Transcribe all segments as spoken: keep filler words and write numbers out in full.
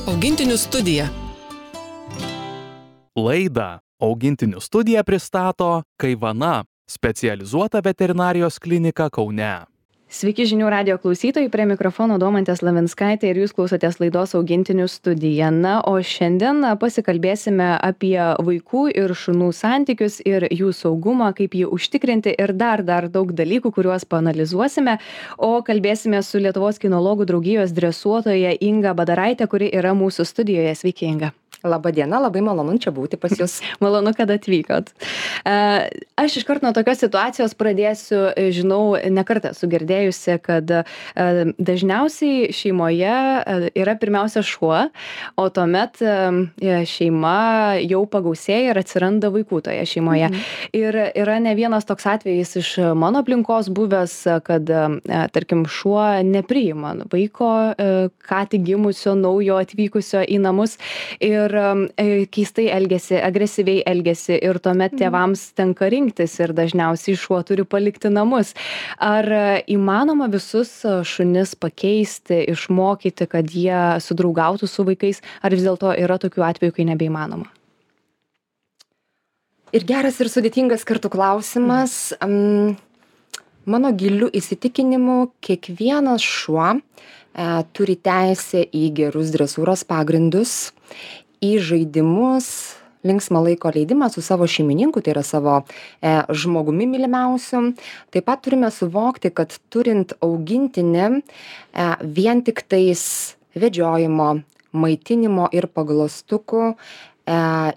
Augintinių studija. Laidą Augintinių studija pristato Kaivana, specializuota veterinarijos klinika Kaune. Sveiki žinių radijo klausytojai, prie mikrofono Domantė Slavinskaitė ir jūs klausotės laidos Augintinių studija. Na, o šiandien pasikalbėsime apie vaikų ir šunų santykius ir jų saugumą, kaip jį užtikrinti ir dar, dar daug dalykų, kuriuos paanalizuosime. O kalbėsime su Lietuvos kinologų draugijos dresuotoja Inga Badaraitė, kuri yra mūsų studijoje. Sveiki, Inga. Labą dieną, labai malonu čia būti pas jūs. Malonu, kad atvykot. Aš iškart nuo tokios situacijos pradėsiu, žinau, nekartą esu girdėjusi, kad dažniausiai šeimoje yra pirmiausia šuo, o tuomet šeima jau pagausėja ir atsiranda vaikų toje šeimoje. Mhm. Ir yra ne vienas toks atvejis iš mano aplinkos buvęs, kad, tarkim, šuo nepriima vaiko, ką tik gimusio, naujo atvykusio į namus ir keistai elgiasi, agresyviai elgiasi ir tuomet tėvams tenka rinktis ir dažniausiai šuo turi palikti namus. Ar įmanoma visus šunis pakeisti, išmokyti, kad jie sudraugautų su vaikais, ar vis dėlto yra tokių atvejų, kai nebeįmanoma? Ir geras ir sudėtingas kartu klausimas. Mm. Mano giliu įsitikinimu, kiekvienas šuo e, turi teisę į gerus dresūros pagrindus, į žaidimus, linksmą laiko leidimą su savo šeimininku, tai yra savo e, žmogumi mylimiausiu. Taip pat turime suvokti, kad turint augintinį e, vien tik tais vedžiojimo, maitinimo ir paglostukų e,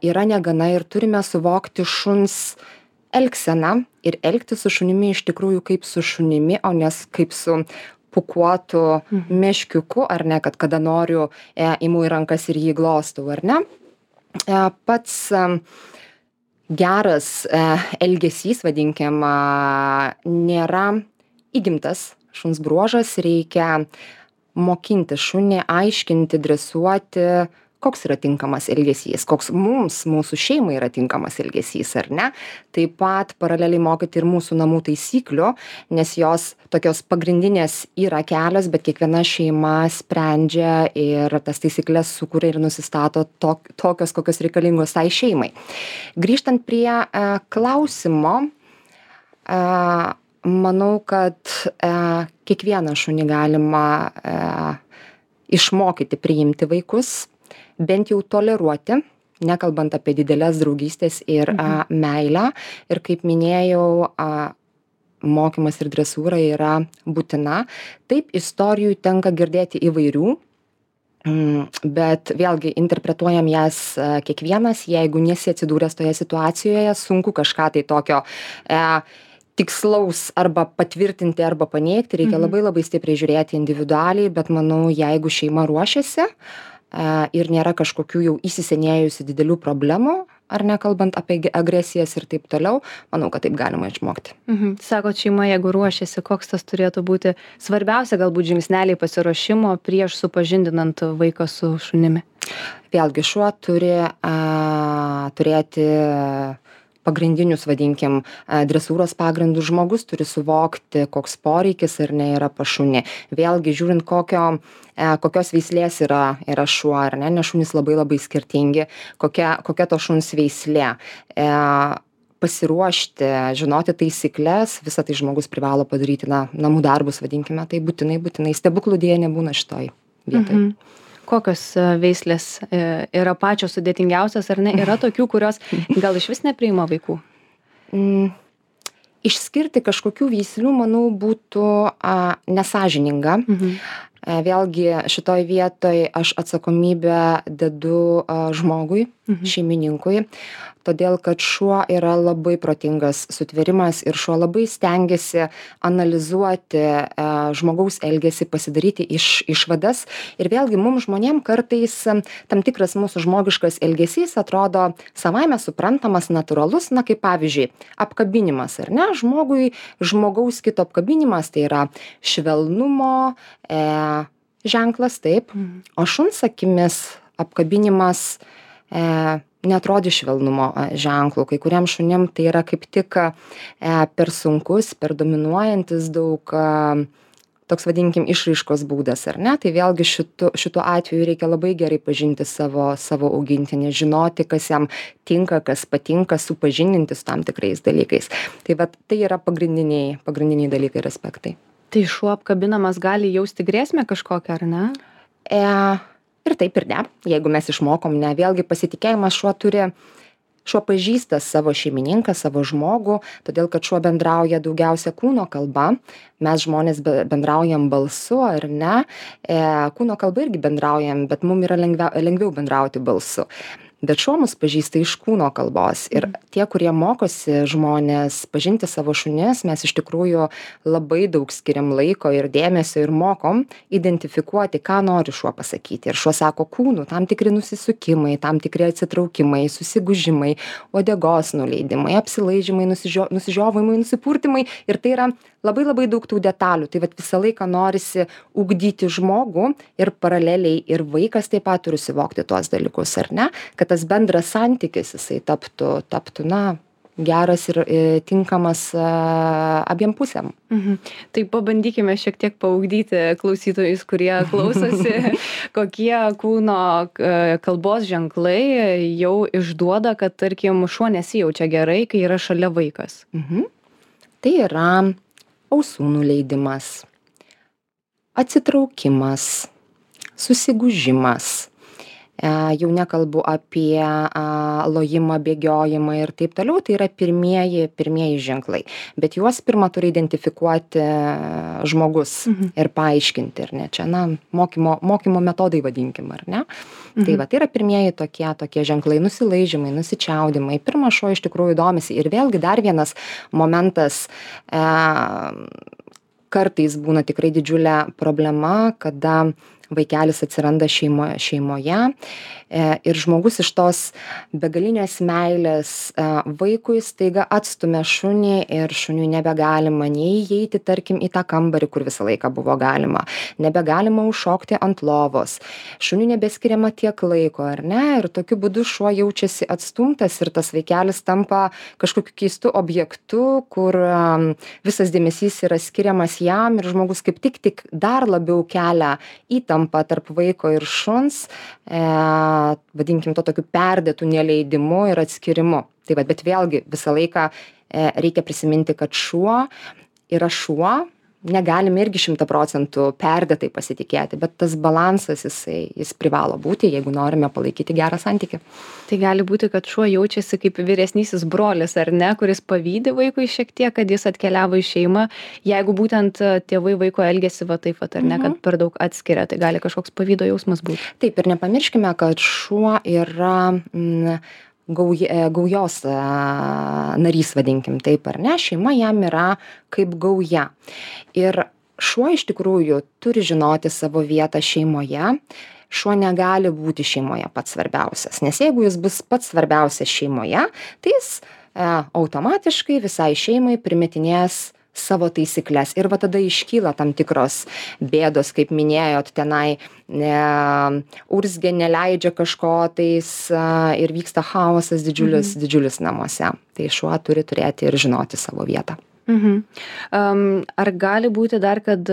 yra negana ir turime suvokti šuns elgseną ir elgtis su šunimi iš tikrųjų kaip su šunimi, o ne kaip su pukuotų mhm. meškiuku, ar ne, kad kada noriu e, imu į rankas ir jį glostau, ar ne. E, pats e, geras e, elgesys, vadinkim, e, nėra įgimtas šuns bruožas, reikia mokinti šunį, aiškinti, dresuoti, koks yra tinkamas elgesys, koks mums, mūsų šeimai yra tinkamas elgesys, ar ne. Taip pat paraleliai mokyti ir mūsų namų taisyklių, nes jos tokios pagrindinės yra kelios, bet kiekviena šeima sprendžia ir tas taisyklės sukuria ir nusistato tok, tokios, kokios reikalingos tai šeimai. Grįžtant prie e, klausimo, e, manau, kad e, kiekvieną šunį galima e, išmokyti priimti vaikus, bent jau toleruoti, nekalbant apie didelės draugystės ir mhm. a, meilę. Ir kaip minėjau, a, mokymas ir dresūra yra būtina. Taip, istorijų tenka girdėti įvairių, mm, bet vėlgi interpretuojam jas a, kiekvienas, jeigu nesi atsidūręs toje situacijoje, sunku kažką tai tokio e, tikslaus arba patvirtinti arba paneigti, reikia mhm. labai labai stipriai žiūrėti individualiai, bet manau, jeigu šeima ruošiasi, ir nėra kažkokių jau įsisenėjusių didelių problemų, ar nekalbant apie agresijas ir taip toliau, manau, kad taip galima išmokti. Mhm. Sakot, šeima, jeigu ruošiasi, koks tas turėtų būti svarbiausia galbūt žingsneliai pasiruošimo prieš supažindinant vaiką su šunimi? Vėlgi, šuo turi a, turėti pagrindinius, vadinkim, dresūros pagrindų, žmogus turi suvokti, koks poreikis ir ne yra pas šunį. Vėlgi, žiūrint, kokio, kokios veislės yra, yra šuo, ar ne, nes šunys labai labai skirtingi, kokia, kokia to šuns veislė. E, pasiruošti, žinoti taisyklės, visą tai žmogus privalo padaryti, na, namų darbus, vadinkime, tai būtinai, būtinai stebuklų dėja nebūna šitoj vietoj. Mhm. Kokios veislės yra pačios sudėtingiausios, ar ne? Yra tokių, kurios gal iš vis nepriima vaikų? Mm, išskirti kažkokių veislių, manau, būtų a, nesąžininga. Mhm. A, vėlgi šitoj vietoj aš atsakomybę dedu a, žmogui, mhm. šeimininkui, todėl kad šuo yra labai protingas sutvėrimas ir šuo labai stengiasi analizuoti e, žmogaus elgesį, pasidaryti iš, išvadas. Ir vėlgi mums žmonėm kartais tam tikras mūsų žmogiškas elgesys atrodo savaime suprantamas, natūralus, na kaip pavyzdžiui, apkabinimas, ar ne? Žmogui, žmogaus kito apkabinimas tai yra švelnumo e, ženklas, taip, mm. o šuns akimis apkabinimas e, neatrodys švelnumo ženklų. Kai kuriem šunim tai yra kaip tik e, per sunkus, per dominuojantis daug e, toks vadinkim išraiškos būdas, ar ne? Tai vėlgi šitu, šituo atveju reikia labai gerai pažinti savo, savo augintinį, žinoti, kas jam tinka, kas patinka, supažindinti su tam tikrais dalykais. Tai vat, tai yra pagrindiniai, pagrindiniai dalykai ir aspektai. Tai šuo apkabinamas gali jausti grėsmę kažkokią, ar ne? E, ir taip ir ne, jeigu mes išmokom, ne, vėlgi pasitikėjimas šuo turi, šuo pažįsta savo šeimininką, savo žmogų, todėl kad šuo bendrauja daugiausia kūno kalba, mes žmonės bendraujam balsu ar ne, e, kūno kalba irgi bendraujam, bet mums yra lengviau, lengviau bendrauti balsu. Bet šuo mus pažįsta iš kūno kalbos ir tie, kurie mokosi žmonės pažinti savo šunis, mes iš tikrųjų labai daug skiriam laiko ir dėmesio ir mokom identifikuoti, ką nori šuo pasakyti. Ir šuo sako kūnų, tam tikri nusisukimai, tam tikri atsitraukimai, susigūžimai, uodegos nuleidimai, apsilaižymai, nusižio, nusižiovimai, nusipurtimai ir tai yra labai labai daug tų detalių. Tai vat visą laiką norisi ugdyti žmogų ir paraleliai ir vaikas taip pat turi suvokti tuos dalykus, ar ne? Kad tas bendras santykis jisai taptų, taptų na, geras ir e, tinkamas e, abiem pusėm. Mhm. Tai pabandykime šiek tiek paugdyti klausytojus, kurie klausosi, kokie kūno kalbos ženklai jau išduoda, kad, tarkim, šuo nesijaučia gerai, kai yra šalia vaikas. Mhm. Tai yra ausų nuleidimas, atsitraukimas, susigūžimas. Jau nekalbu apie lojimą, bėgiojimą ir taip toliau, tai yra pirmieji, pirmieji ženklai. Bet juos pirmą turi identifikuoti žmogus mhm. ir paaiškinti, ar ne? Čia, na, mokymo, mokymo metodai vadinkim, ar ne? Mhm. Tai va, tai yra pirmieji tokie, tokie ženklai, nusilaižymai, nusičiaudimai. Pirmas šuo iš tikrųjų domisi. Ir vėlgi dar vienas momentas, e, kartais būna tikrai didžiulė problema, kada vaikelis atsiranda šeimo, šeimoje e, ir žmogus iš tos begalinės meilės e, vaikui staiga atstumia šunį ir šuniui nebegalima nei įeiti, tarkim, į tą kambarį, kur visą laiką buvo galima, nebegalima užšokti ant lovos, šuniui nebeskiriama tiek laiko, ar ne? Ir tokiu būdu šuo jaučiasi atstumtas ir tas vaikelis tampa kažkokiu keistu objektu, kur um, visas dėmesys yra skiriamas jam ir žmogus kaip tik tik dar labiau kelia įtampą tarp vaiko ir šuns, e, vadinkim to tokiu perdėtų neleidimu ir atskirimu. Tai va, bet vėlgi visą laiką e, reikia prisiminti, kad šuo yra šuo, negalime irgi šimtą procentų perdėtai pasitikėti, bet tas balansas jisai, jis privalo būti, jeigu norime palaikyti gerą santykį. Tai gali būti, kad šuo jaučiasi kaip vyresnysis brolis, ar ne, kuris pavydi vaikui šiek tiek, kad jis atkeliavo į šeimą, jeigu būtent tėvai vaiko elgesi va taip, ar ne, mhm. kad per daug atskiria, tai gali kažkoks pavydo jausmas būti. Taip, ir nepamirškime, kad šuo yra mm, gauj, gaujos narys, vadinkim taip, ar ne, šeima jam yra kaip gauja. Ir šuo iš tikrųjų turi žinoti savo vietą šeimoje. Šuo negali būti šeimoje pats svarbiausias, nes jeigu jis bus pats svarbiausias šeimoje, tai jis e, automatiškai visai šeimai primetinės savo taisyklės. Ir va tada iškyla tam tikros bėdos, kaip minėjot, tenai ne, urzgė, neleidžia kažko tais a, ir vyksta chaosas didžiulis, mhm. didžiulis namuose. Tai šuo turi turėti ir žinoti savo vietą. Mhm. Um, ar gali būti dar, kad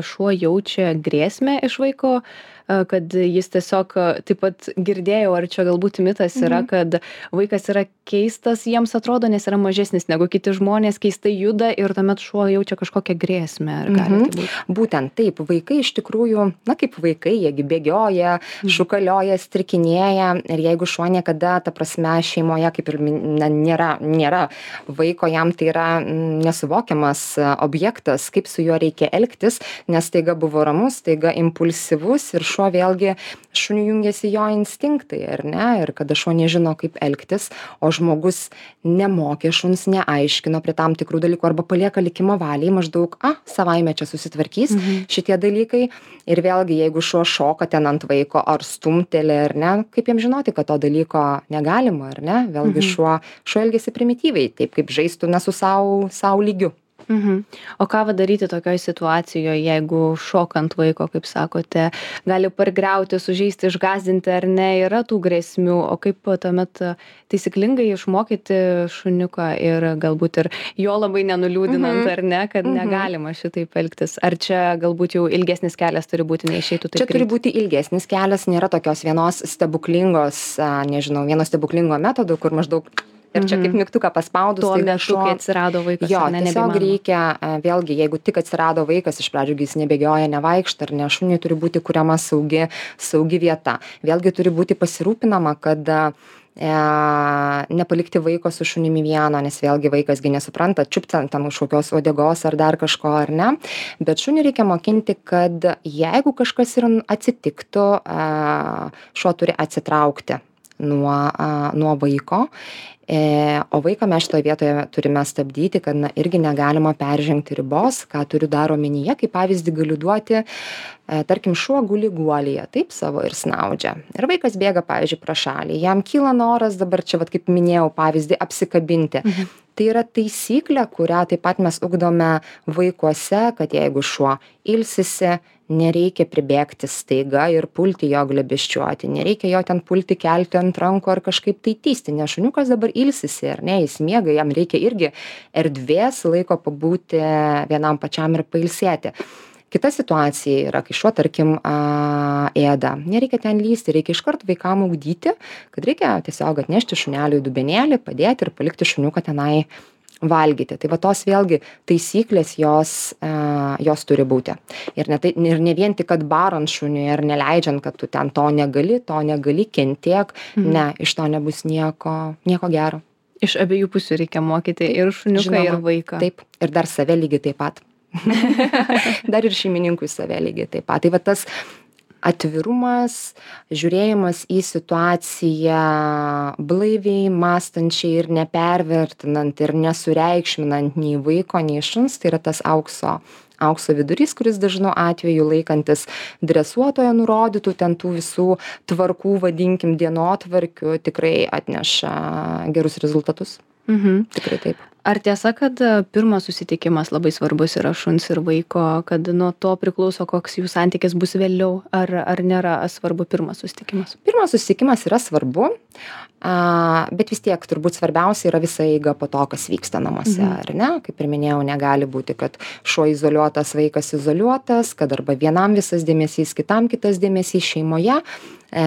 šuo jaučia grėsmę iš vaiko, kad jis tiesiog, taip pat girdėjau, ar čia galbūt mitas yra, mhm. kad vaikas yra keistas, jiems atrodo, nes yra mažesnis negu kiti žmonės, keistai juda ir tuomet šuo jaučia kažkokią grėsmę. Ar gali mhm. tai būti? Būtent taip, vaikai iš tikrųjų, na kaip vaikai, jiegi bėgioja, mhm. šukalioja, strikinėja ir jeigu šuo niekada, ta prasme, šeimoje kaip ir na, nėra, nėra vaiko, jam tai yra nesuvokiamas objektas, kaip su juo reikia elgtis, nes taiga buvo ramus, taiga impulsyvus ir šuo vėlgi, šuniui jungiasi jo instinktai, ar ne, ir kada šuo nežino, kaip elgtis, o žmogus nemokė šuns, neaiškino prie tam tikrų dalykų arba palieka likimo valiai, maždaug, a, savaime čia susitvarkys mhm. šitie dalykai ir vėlgi, jeigu šuo šoka ten ant vaiko ar stumtelė, ar ne, kaip jam žinoti, kad to dalyko negalima, ar ne, vėlgi mhm. šuo, šuo elgiasi primityviai, taip kaip žaistų ne su savo, savo lygiu. Mhm. O ką va daryti tokioj situacijoje, jeigu šokant vaiko, kaip sakote, gali pargriauti, sužeisti, išgąsdinti ar ne, yra tų grėsmių, o kaip tuomet taisyklingai išmokyti šuniuką ir galbūt ir jo labai nenuliūdinant Mhm. ar ne, kad Mhm. negalima šitaip elgtis. Ar čia galbūt jau ilgesnis kelias turi būti, neišeitų taip Čia turi greit? būti ilgesnis kelias, nėra tokios vienos stebuklingos, a, nežinau, vieno stebuklingo metodo, kur maždaug ir čia kaip mygtuką paspaudus. Tuo staiga metu, kai atsirado vaikas, Jo, ar ne, tiesiog nebeįmanoma. reikia, a, vėlgi, jeigu tik atsirado vaikas, iš pradžių jis nebėgioja, nevaikšta, ar ne, šuniui turi būti kuriama saugi, saugi vieta. Vėlgi turi būti pasirūpinama, kad a, e, nepalikti vaiko su šunimi vieno, nes vėlgi vaikasgi nesupranta, čiupti ant tam kažkokios uodegos ar dar kažko, ar ne. Bet šunį reikia mokinti, kad jeigu kažkas ir atsitiktų, a, šuo turi atsitraukti nuo, a, nuo vaiko. E, o vaiką mes šitoje vietoje turime stabdyti, kad na, irgi negalima peržengti ribos, ką turiu dar omenyje, kaip pavyzdį galiu duoti, e, tarkim, šuo guli guolyje, taip savo ir snaudžia. Ir vaikas bėga, pavyzdžiui, pro šalį, jam kyla noras dabar čia, vat, kaip minėjau, pavyzdį apsikabinti. Mhm. Tai yra taisyklė, kurią taip pat mes ugdome vaikuose, kad jeigu šuo ilsisi, nereikia pribėgti staiga ir pulti jo glėbesčiuoti, nereikia jo ten pulti kelti ant rankų ar kažkaip tai tįsti, nes šuniukas dabar ilsisi, ar ne, jis miega, jam reikia irgi erdvės laiko pabūti vienam pačiam ir pailsėti. Kita situacija yra, kai šuo, tarkim, a, ėda. Nereikia ten lysti, reikia iškart vaikam ugdyti, kad reikia tiesiog atnešti šuneliui dubenėlį, padėti ir palikti šuniuką tenai valgyti. Tai va tos vėlgi taisyklės jos, uh, jos turi būti. Ir ne, tai, ir ne vien tik, kad barant šuniui ir neleidžiant, kad tu ten to negali, to negali, kentiek, mhm. ne, iš to nebus nieko, nieko gero. Iš abiejų pusių reikia mokyti ir šuniuką, Žinoma, ir vaiką. Taip, ir dar save lygiai taip pat. Dar ir šeimininkui save lygiai taip pat. Tai va tas atvirumas, žiūrėjimas į situaciją blaiviai, mąstančiai ir nepervertinant ir nesureikšminant nei vaiko, nei šuns, tai yra tas aukso, aukso vidurys, kuris dažnu atveju laikantis dresuotojo nurodytų ten tų visų tvarkų, vadinkim, dienotvarkių, tikrai atneša gerus rezultatus. Mhm. Tikrai taip. Ar tiesa, kad pirmas susitikimas labai svarbus yra šuns ir vaiko, kad nuo to priklauso, koks jų santykis bus vėliau, ar, ar nėra svarbu pirmas susitikimas? Pirmas susitikimas yra svarbu, a, bet vis tiek turbūt svarbiausia yra visa eiga po to, kas vyksta namuose, mhm. ar ne? Kaip ir minėjau, negali būti, kad šuo izoliuotas, vaikas izoliuotas, kad arba vienam visas dėmesys, kitam kitas dėmesys šeimoje. E,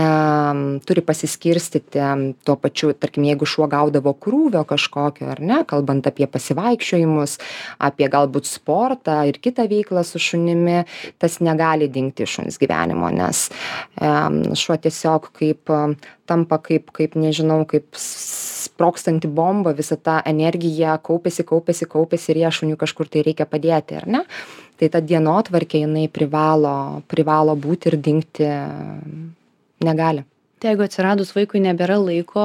turi pasiskirstyti tuo pačiu, tarkim, jeigu šuo gaudavo krūvio kažkokio, ar ne, kalbant apie pasivaikščiojimus, apie galbūt sportą ir kitą veiklą su šunimi, tas negali dingti iš šuns gyvenimo, nes e, šuo tiesiog kaip tampa kaip, kaip, nežinau, kaip sprogstanti bomba, visa ta energija kaupiasi, kaupiasi, kaupiasi ir ją šuniui kažkur tai reikia padėti, ar ne? Tai ta dienotvarkė jinai privalo, privalo būti ir dingti negali. Tai jeigu atsiradus vaikui nebėra laiko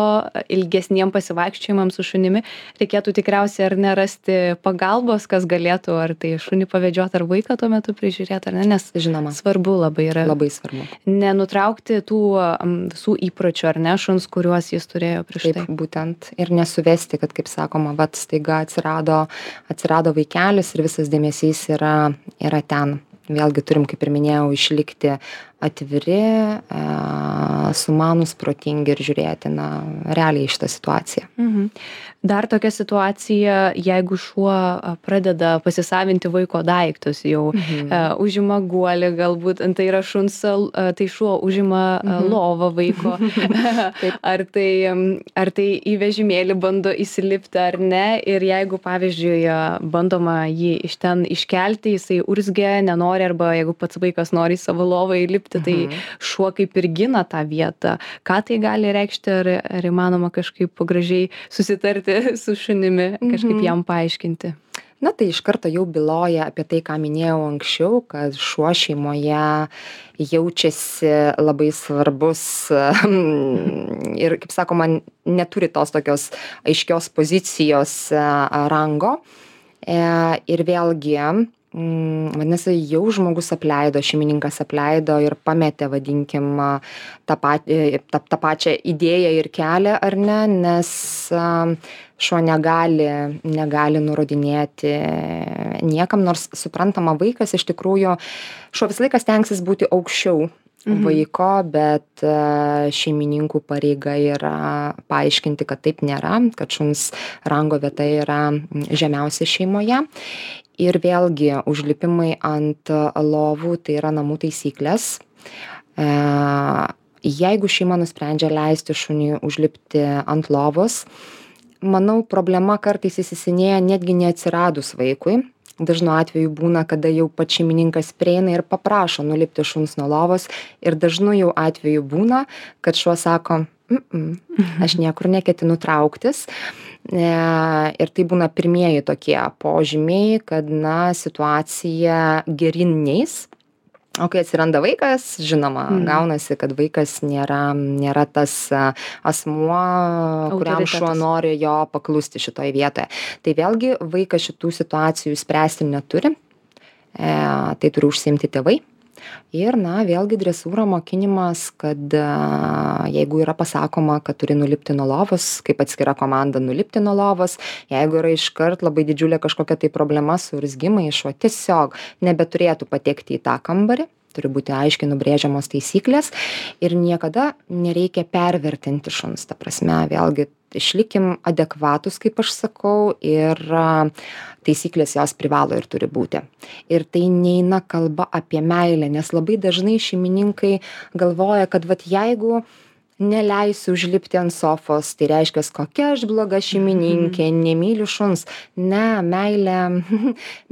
ilgesniem pasivaikščiojimams su šunimi, reikėtų tikriausiai ar nerasti pagalbos, kas galėtų ar tai šunį pavedžioti ar vaiką tuo metu prižiūrėti, ar ne, nes Žinoma, svarbu labai yra. Labai svarbu. Nenutraukti tų um, visų įpročių, ar ne, šuns, kuriuos jis turėjo prieš Taip, tai. būtent. Ir nesuvesti, kad, kaip sakoma, vat staiga atsirado, atsirado vaikelis ir visas dėmesys yra, yra ten. Vėlgi turim, kaip ir minėjau, išlikti atviri, e, sumanus, protingi ir žiūrėti, na, realiai šitą situaciją. Mhm. Dar tokia situacija, jeigu šuo pradeda pasisavinti vaiko daiktus, jau mhm. uh, užima guolį, galbūt tai yra šuns, uh, tai šuo užima uh, mhm. lovą vaiko, ar, tai, um, ar tai į vežimėlį bando įsilipti ar ne, ir jeigu, pavyzdžiui, bandoma jį iš ten iškelti, jisai urzgia, nenori, arba jeigu pats vaikas nori į savo lovą įlipti, tai mhm. šuo kaip ir gina tą vietą. Ką tai gali reikšti, ar, ar įmanoma kažkaip gražiai susitarti su šunimi, kažkaip jam paaiškinti? Na, tai iš karto jau byloja apie tai, ką minėjau anksčiau, kad šuo šeimoje jaučiasi labai svarbus ir, kaip sakoma, neturi tos tokios aiškios pozicijos rango. Ir vėlgi mm, vadinasi, jau žmogus apleido, šeimininkas apleido ir pametė, vadinkim, tą, pat, tą, tą pačią idėją ir kelią, ar ne, nes šuo negali, negali nurodinėti niekam, nors suprantama, vaikas iš tikrųjų, šuo visą laiką stengsis būti aukščiau vaiko, bet šeimininkų pareiga yra paaiškinti, kad taip nėra, kad šuns rango vieta yra žemiausia šeimoje. Ir vėlgi užlipimai ant lovų tai yra namų taisyklės. Jeigu šeima nusprendžia leisti šuniui užlipti ant lovos, manau, problema kartais įsisenėja netgi neatsiradus vaikui. Dažnu atveju būna, kada jau pats šeimininkas prieina ir paprašo nulipti šuns nuo lovos ir dažnu jau atveju būna, kad šuo sako, mm aš niekur neketinu trauktis. Ir tai būna pirmieji tokie požymiai, kad na, situacija geryn neis. O kai atsiranda vaikas, žinoma, mm. gaunasi, kad vaikas nėra, nėra tas asmuo, kuriam šuo nori jo paklusti šitoje vietoje. Tai vėlgi vaikas šitų situacijų spręsti neturi, e, tai turi užsiimti tėvai. Ir, na, vėlgi dresūra mokinimas, kad a, jeigu yra pasakoma, kad turi nulipti nuo lovos, kaip atskira komanda nulipti nuo lovos, jeigu yra iškart labai didžiulė kažkokia tai problema su urzgimai, šuo tiesiog nebeturėtų patekti į tą kambarį, turi būti aiškiai nubrėžiamos taisyklės ir niekada nereikia pervertinti šuns. Ta prasme, vėlgi išlikim adekvatus, kaip aš sakau, ir a, taisyklės jos privalo ir turi būti. Ir tai neina kalba apie meilę, nes labai dažnai šeimininkai galvoja, kad vat jeigu neleisiu užlipti ant sofos, tai reiškia, kokia aš bloga šeimininkė, nemyliu šuns. Ne, meilė,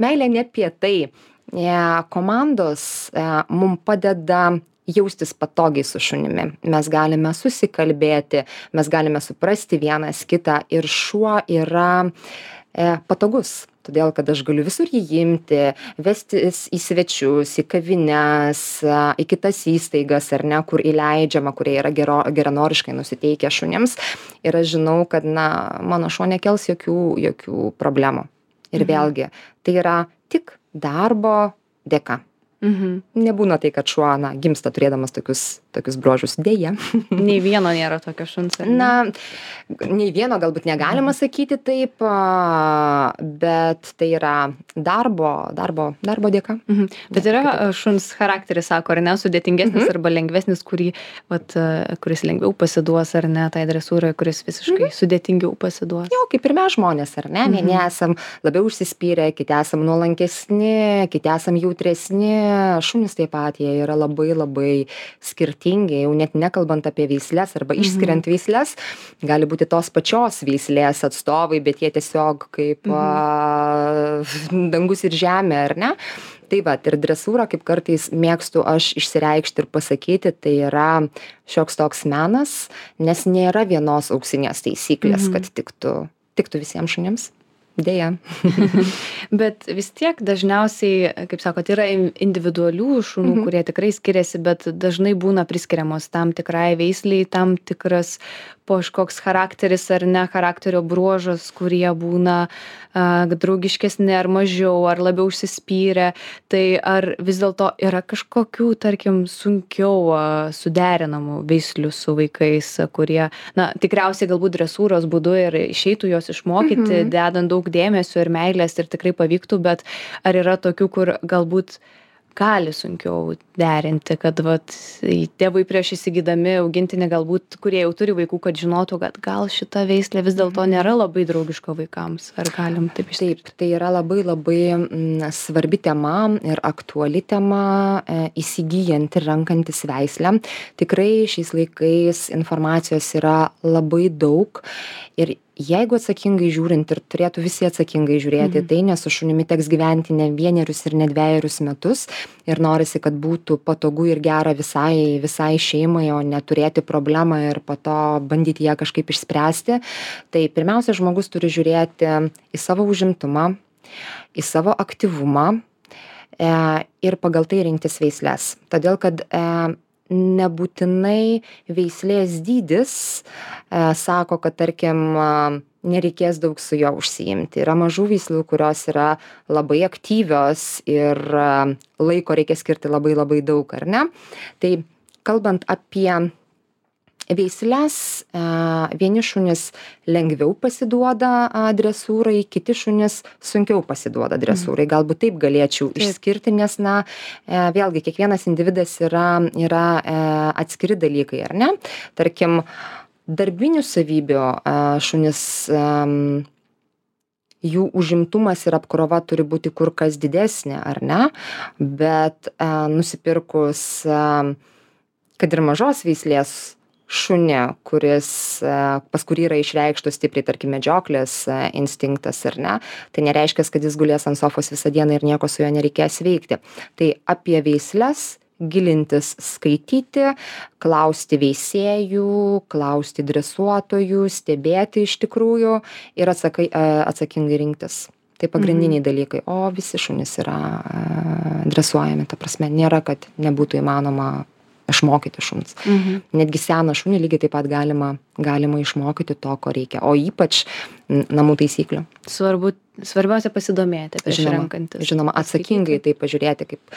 meilė ne apie tai. Komandos mum padeda jaustis patogiai su šunimi. Mes galime susikalbėti, mes galime suprasti vienas kitą ir šuo yra e, patogus. Todėl, kad aš galiu visur jį imti, vestis į svečius, į kavines, į kitas įstaigas, ar ne, kur įleidžiama, kurie yra gero, geranoriškai nusiteikę šunims. Ir aš žinau, kad na, mano šuo nekels jokių, jokių problemų. Ir mhm. vėlgi, tai yra tik darbo dėka. Mhm. Nebūna tai, kad šuo na, gimsta turėdamas tokius, tokius bruožus. Deja. Nei vieno nėra tokio šuns. Na, nei vieno galbūt negalima mhm. sakyti taip, bet tai yra darbo, darbo, darbo dėka. Mhm. Bet yra šuns charakteris, sako, ar ne, sudėtingesnis mhm. arba lengvesnis, kurį, vat, kuris lengviau pasiduos, ar ne, tai dresūrai, kuris visiškai mhm. sudėtingiau pasiduos. Jo, kaip ir mes žmonės, ar ne? Mhm. Vieni esam labiau užsispyrę, kiti esam nuolankesni, kiti esam jautresni. Šunys taip pat, jie yra labai labai skirtingi, jau net nekalbant apie veislės arba išskiriant mm-hmm. veislės, gali būti tos pačios veislės atstovai, bet jie tiesiog kaip mm-hmm. a, dangus ir žemė, ar ne? Tai va, ir dresūra, kaip kartais mėgstu aš išsireikšti ir pasakyti, tai yra šioks toks menas, nes nėra vienos auksinės taisyklės, mm-hmm. kad tiktų, tiktų visiems šunims. Deja. Bet vis tiek dažniausiai, kaip sakot, yra individualių šunų, mhm. kurie tikrai skiriasi, bet dažnai būna priskiriamos tam tikrai veisliai, tam tikras kažkoks charakteris ar ne charakterio bruožas, kurie būna a, draugiškesni ar mažiau, ar labiau užsispyrę. Tai ar vis dėlto yra kažkokių, tarkim, sunkiau a, suderinamų veislių su vaikais, kurie, na, tikriausiai galbūt dresūros būdu ir išeitų jos išmokyti, mhm. dedant daug dėmesio ir meilės ir tikrai pavyktų, bet ar yra tokių, kur galbūt gali sunkiau derinti, kad vat, tėvai prieš įsigydami augintinį galbūt, kurie jau turi vaikų, kad žinotų, kad gal šita veislė vis dėlto nėra labai draugiška vaikams. Ar galim taip išskirti? Taip, tai yra labai labai m, svarbi tema ir aktuali tema e, įsigyjant ir renkantis veislę. Tikrai šiais laikais informacijos yra labai daug ir jeigu atsakingai žiūrint ir turėtų visi atsakingai žiūrėti, mhm. tai nes su šunimi teks gyventi ne vienerius ir ne dvejerius metus ir norisi, kad būtų patogu ir gera visai, visai šeimai, o neturėti problemą ir po to bandyti ją kažkaip išspręsti. Tai pirmiausia, žmogus turi žiūrėti į savo užimtumą, į savo aktyvumą e, ir pagal tai rinktis veisles. Todėl, kad e, nebūtinai veislės dydis e, sako, kad tarkim nereikės daug su juo užsiimti. Yra mažų veislių, kurios yra labai aktyvios ir a, laiko reikia skirti labai labai daug, ar ne? Tai kalbant apie veisles, a, vieni šunys lengviau pasiduoda a, dresūrai, kiti šunys sunkiau pasiduoda dresūrai. Galbūt taip galėčiau Taip. išskirti, nes, na, e, vėlgi, kiekvienas individas yra, yra e, atskiri dalykai, ar ne? Tarkim, darbinių savybių a, šunis, am, jų užimtumas ir apkrova turi būti kur kas didesnė, ar ne? Bet a, nusipirkus, a, kad ir mažos veislės šunį, kuris, a, pas kurį yra išreikštos stipriai, tarkim, medžioklės a, instinktas, ar ne? Tai nereiškia, kad jis gulės ant sofos visą dieną ir nieko su juo nereikės veikti. Tai apie veisles gilintis, skaityti, klausti veisėjų, klausti dresuotojų, stebėti iš tikrųjų ir atsakai, atsakingai rinktis. Tai pagrindiniai dalykai. O visi šunys yra dresuojami, ta prasme, nėra, kad nebūtų įmanoma išmokyti šuns. Mhm. Netgi seną šunį lygiai taip pat galima, galima išmokyti to, ko reikia. O ypač namų taisyklių. Svarbu, svarbiausia pasidomėti prieš Žinoma, renkantis. žinoma, atsakingai tai pažiūrėti, kaip,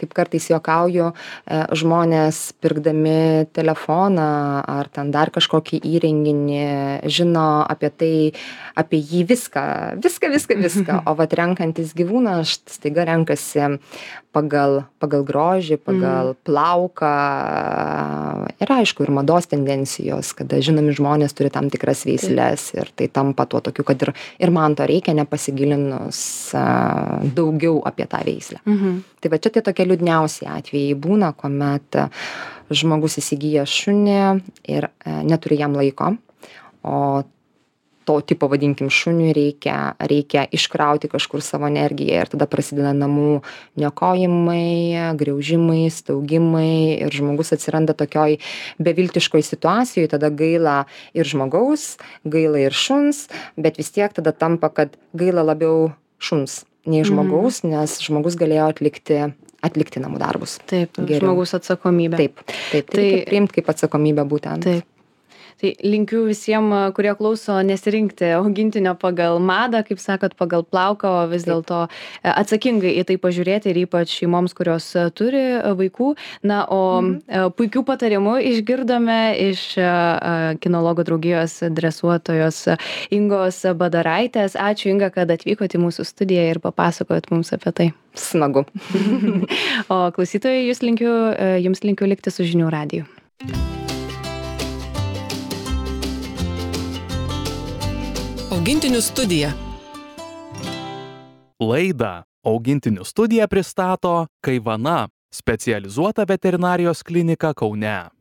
kaip kartais juokauju, e, žmonės pirkdami telefoną ar ten dar kažkokį įrenginį žino apie tai, apie jį viską, viską, viską, viską. O vat renkantis gyvūną, aš staiga renkasi pagal, pagal grožį, pagal plauką. Ir aišku, ir mados tendencijos, kada žinomi žmonės turi tam tikras veisles ir tai tampa tuo tokiu, kad ir, ir man to reikia, nepasigilinus a, daugiau apie tą veislę. Mhm. Tai va čia tie tokie liūdniausi atvejai būna, kuomet a, žmogus įsigyja šunį ir a, neturi jam laiko, o to tipo, vadinkim, šuniui reikia, reikia iškrauti kažkur savo energiją ir tada prasideda namų niokojimai, griaužimai, staugimai ir žmogus atsiranda tokioj beviltiškoj situacijoj, tada gaila ir žmogaus, gaila ir šuns, bet vis tiek tada tampa, kad gaila labiau šuns nei žmogaus, mm. nes žmogus galėjo atlikti atlikti namų darbus. Taip, Geriau. žmogus atsakomybė. Taip, taip, tai reikia priimti kaip atsakomybę būtent. Taip. Tai linkiu visiems, kurie klauso, nesirinkti augintinio pagal madą, kaip sakot, pagal plauką, o vis dėlto atsakingai į tai pažiūrėti ir ypač šeimoms, kurios turi vaikų. Na, o mhm. puikių patarimų išgirdome iš kinologų draugijos dresuotojos Ingos Badaraitės. Ačiū, Inga, kad atvykote į mūsų studiją ir papasakojot mums apie tai. Smagu. O klausytojai, jūs linkiu, jums linkiu likti su Žinių radiju. Augintinių studija. Laidą Augintinių studija pristato Kaivana, specializuota veterinarijos klinika Kaune.